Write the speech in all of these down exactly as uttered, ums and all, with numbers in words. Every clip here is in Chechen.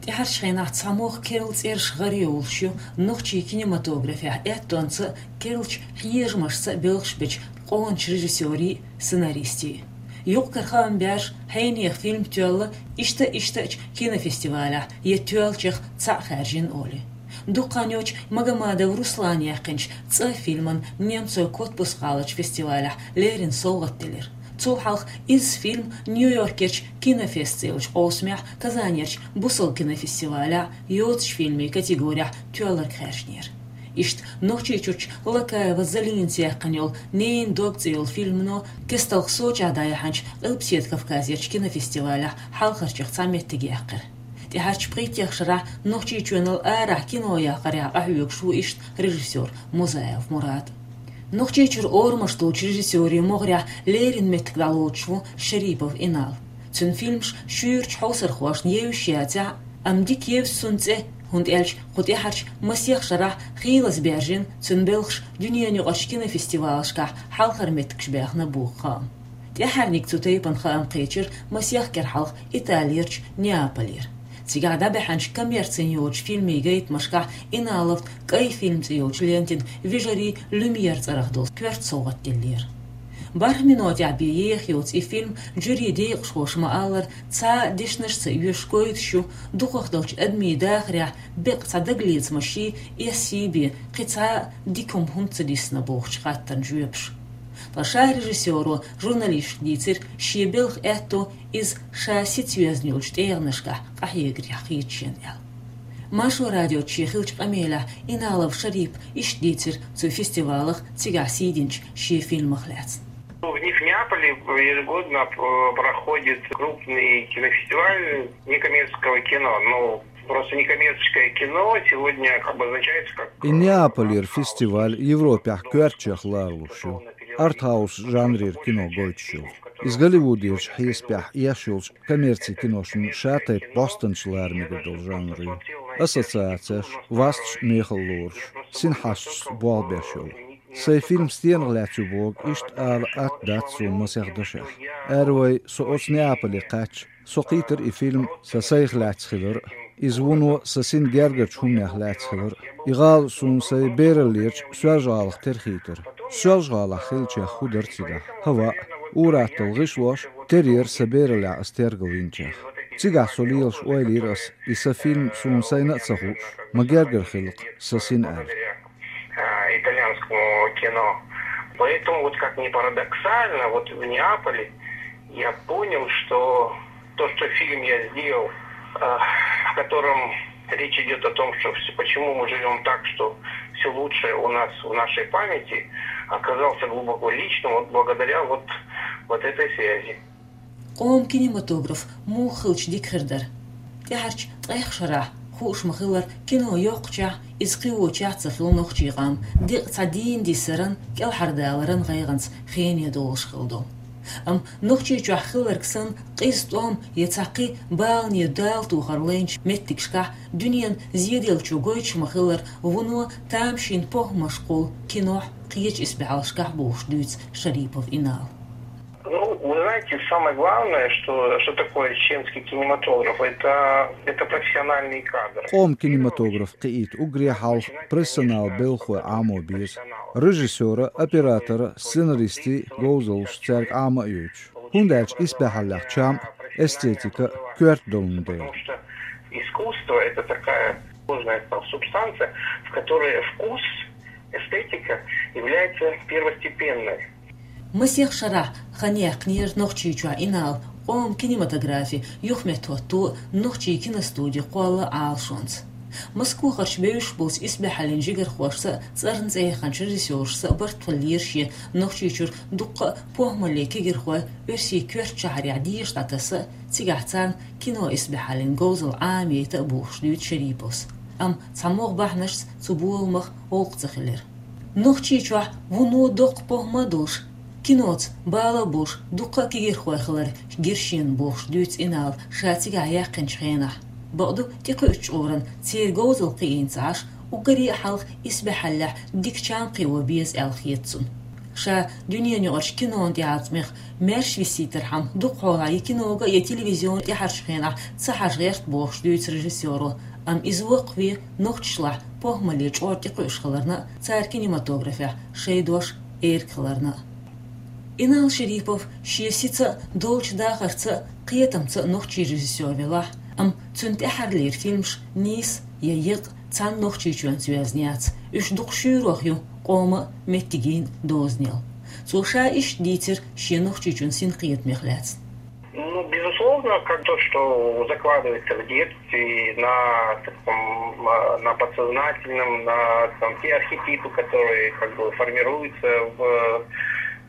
ТӀаьхьарчу хенахь цхьа могӀа керла цӀераш гӀарайовлуш ю нохчийн кинематографехь аьттонца а, керлачу хьежамашца а белхаш бечу къоначу режиссерийн а, сценаристийн а. Юкъ-кара хаам беш, хьенехан фильм тоьлла иштта-иштта а кинофестивалехь я тоьллачех цхьаъ хаьржина олий. Дукха хан йоццуш Магомадов Руслана яьккхинчу «ЦӀа» фильмана Немцойн Котбус-гӀаларчу фестивалехь леррина совгӀат делира. Цул хьалха изза фильм Нью-Йоркерчу Кинофест цӀе йолчу къовсамехь, Казанерчу бусалба кинофестивалехь йоцучу фильмийн категорехь тоьлларг хаьржинера. Иштта Нохчийчуьрчу Лакаева Залинас яьккхина йолу «Ненан дог» цӀе йолу фильмано кестта Сочехь дӀаяьхьначу Къилбаседа Кавказерчу кинофестивалехь хьалхарчех цхьа меттиг яьккхира. ТӀаьхьарчу пхийттех шарахь Нохчийчоьнал арахь кино яккхарехь къахьоьгуш ву иштта режиссер Музаев Мурад. Нохчийчуьра орамаш долчу режиссерийн могӀарехь леррина меттиг дӀалоцуш ву Шарипов Инал. Цуьнан фильмаш шуьйрачу хьовсархошна евзаш яцахь а, амма дика евза цуьнан цӀе, хӀунда аьлча кху тӀаьхьарчу масех шарахь хийлаза баьржина цуьнан белхаш дуьненаюкъарчу кинофестивалашкахь хьалхара меттигаш баьхна боху хаам. ТӀаьхьарниг цу тайпана хаам кхечира масех кӀира хьалха Италерчу Неаполера. Цигахь дӀабаьхьначу коммерцина йоцучу фильмийн гайтамашкахь Иналовн «КӀай фильм» цӀе йолчу лентина вежарий Люмьер цӀарах долу коьрта совгӀат деллера. БархӀ минотехь бен еха йоцу и фильм, жюрин декъашхоша ма-аллара, цхьа а дешнашца а йоьшуш гойтуш ю, дукхах долчу адамийн дахарехь беккъа цхьа дагалецамашший, эссий бен кхин цхьа а дика хӀума хӀунда ца дисна бохучу хаттарна жоьпаш. Ткъа ша режиссеро журналисташка дийцира, шен белхан аьтто иза ша сица йоьзна йолчу тӀегӀанашкахь къахьегарехь хета шена аьлла. Маршо радиоца шен хиллачу къамелехь Иналов Шарип иштта дийцира цу фестивалах цигахь сий динчу шен фильмах лаьцна. В Неаполе ежегодно, э, проходит крупный кинофестиваль некоммерческого кино. Ну, просто некоммерческое кино сегодня как бы обозначается как... И Неаполера фестиваль Европехь коьртачех лоруш ю. Артхаус жанрера кино гойтуш ю. Иза Голливудерчу хьесапехь еш йолчу коммерцин киношна шатайпа бӀостанча лара мегар долу жанр ю. Ассоциацеш, васташ мехала лоруш, синхьашташца болх беш йолу. Сайн фильм стенах лаьцна ю боху иштта ала атта дац суна масех дашехь. Аьрру вай, со оцу Неаполе кхаьчча, со кхийтира и фильм сан сайх лаьцна хилар а, иза вуно сан сина гергарчу хӀуманех лаьцна хилар а. И гӀала суна сайн бераллерчу Соьлжа-ГӀалах тера хийтира. Соьлжа-ГӀалахь хиллачех хӀун дара цигахь? ХӀаваъ, ур-атталла гӀишлош тера яра сан бераллехь ас тергал йинчех. Цигахь со лелаш ойла йира ас, и сан фильм суна сайна а ца хууш, ма гергара хилла-кх сан сина аьлла. А, итальянскому кино. Поэтому, вот как ни парадоксально, вот в Неаполе я понял, что то, что фильм я сделал, а, в котором речь идет о том, что всё, почему мы живем так, что все лучшее у нас в нашей памяти, оказался глубоко личным, вот благодаря вот, вот этой связи. Къоман кинематограф муха хилча дика хир дара? ТӀаьхьарчу ткъех шарахь, хууш ма-хиллара, кино йоккхучохь, иза кхин вочохь ца хилла нохчийн къам декъа цхьа дийна диссаран, кӀелхьардаларан гӀайгӀанца хене долуш хилла долу. Амма Нохчийчохь хилларг санна, къиза тӀом я цхьа кхин балане дала тохар лайначу меттигашкахь, дуьненан зеделлачо гойтуш ма-хиллара, вуно тамашийна похӀмаш кхуллу кинохь, кхечу исбаьхьаллашкахь бохуш дуьйцу Шарипов Инала. Ну, вы знаете, самое главное, что, что такое чеченский кинематограф, это, это профессиональные кадры. Къоман кинематограф кхиийта уггаре хьалха профессионал белхалой Ӏамо беза. Режиссёра, оператора, сценаристийн говзаллаш цаьрга Ӏама а йойтуш. ХӀунда аьлча исбаьхьаллех чам а, эстетика а коьрта долун дела. Потому что искусство — это такая сложная субстанция, в которой вкус, эстетика является первостепенной. Масех шарахь хан яьккхинера Нохчийчохь Инала къоман кинематографин юхаметтахӀотто а, нохчийн киностуди кхолла а Ӏалашонца. Москвахарчу бевзаш болчу исбаьхьаллин жигархошца а, цӀарна цӀе яханчу режиссёрашца а барт хиллера шен Нохчийчуьра дуккха а похӀмаллин кегийрхой оьрсийн коьртачу шахьарехь деша дӀатаса а, цигахь царна кино исбаьхьаллин говзалла Ӏамайта а бохуш дуьйцу Шариповс. Амма цхьа могӀа бахьанашца цу боламах гӀуллакх ца хилира. Нохчийчохь вуно доккха похӀма а долуш, киноца бала а болуш, дуккха а кегийрхой хилар гира шена бохуш дуьйцу Инала ша цигахь яьккхинчу хенахь. Бакъду, тӀекхуьучу чкъуран церан говзалла кхиийна ца Ӏаш, уггаре а хьалха исбаьхьаллехь дика чам кхио беза аьлла хета цунна. Ша дуьненаюкъарчу кинон тӀеӀаткъамех маьрша висийтархьама, дукха хьолахь я кинога, я телевизионе тӀаьхьарчу хенахь ца хьажа гӀерта бохуш дуьйцу режиссёро, амма иза воккхаве нохчашлахь похӀмалле чкъор тӀекхуьуш хиларна а, цара кинематографехь шайн дош эрга хиларна а. Инал Шерипов шен сица а, долчу дахарца а, кхетамца а нохчийн режиссёр велахь а, амма цуьнан тӀаьххьарлера фильмаш нийса я екъа цхьана Нохчийчоьнца йоьзна яц, уьш дукха шуьйрах ю къоман а, меттигийн а дозанел. Цо ша иштта дийцира шен Нохчийчоьнан синкхетамех лаьцна. Ну, безусловно, как то, что закладывается в детстве на таком, а, на подсознательном, на там, те архетипы, которые как бы формируются в,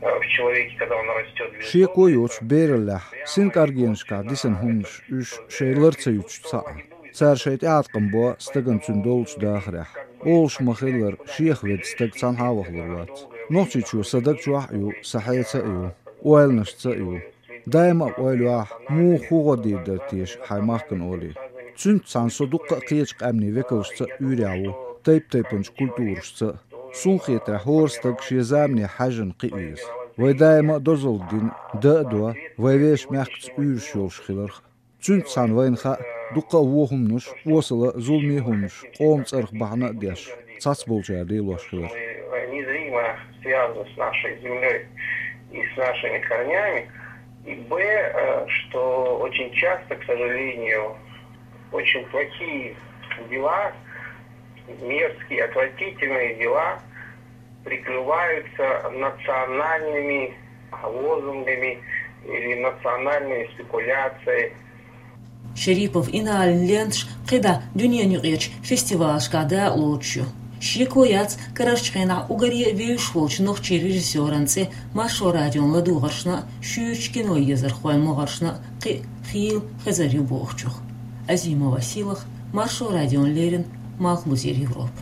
э, в человеке, когда он растет. Шеко йоцуш бераллехь, синкъаргенашкахь дисина хӀуманаш уьш шайн лар ца юьтуш ца Ӏа. Цара шайн тӀеӀаткъам бо стагана цуьнан долчу дахарехь. Олуш ма-хиллара, шех ведда стаг цхьанхьа а вахалур вац. Нохчийчо сан даг чохь а ю, сан хьеца а ю, ойланашца а ю. Даима а ойла йохь, муха хӀун гӀо дийр дара теша хьайн махкана олий. Цуьнца цхьаьна со дуккха а кхечу къаьмнийн векалшца а уьйрехь ву, тайп-тайпанчу культурашца а. Суна хетарехь, хӀора стаг шен замане хьаьжжина кхиа веза. Вай даима а дозалла дина, дан а до, вай вешан мехкаца уьйраш йолуш хиларх а. Цуьнца цхьаьна вайна хаьа, дуккха а вон хӀуманаш, осала а, зуламе а хӀуманаш, къоман цӀарах бахьана а деш, цхьацболчара лелош хилар. Мы незримо связаны с нашей землей и с нашими корнями. И Б, э, что очень часто, к сожалению, очень плохие дела, мерзкие, отвратительные дела прикрываются национальными лозунгами или национальной спекуляцией. Шерипов Иналин ленташ кхидӀа дуьненаюкъарчу фестивалашкахь дакъалоцуш ю. Шеко яц, карарчу хенахь уггаре а вевзаш волчу нохчийн режиссёран цӀе Маршо радион ладугӀаршна а, шуьйрачу киноезархойн могӀаршна а кхин а хийла хезар ю бохучух. Азимова Силах, Маршо радион леррина, Малхбузера Европа.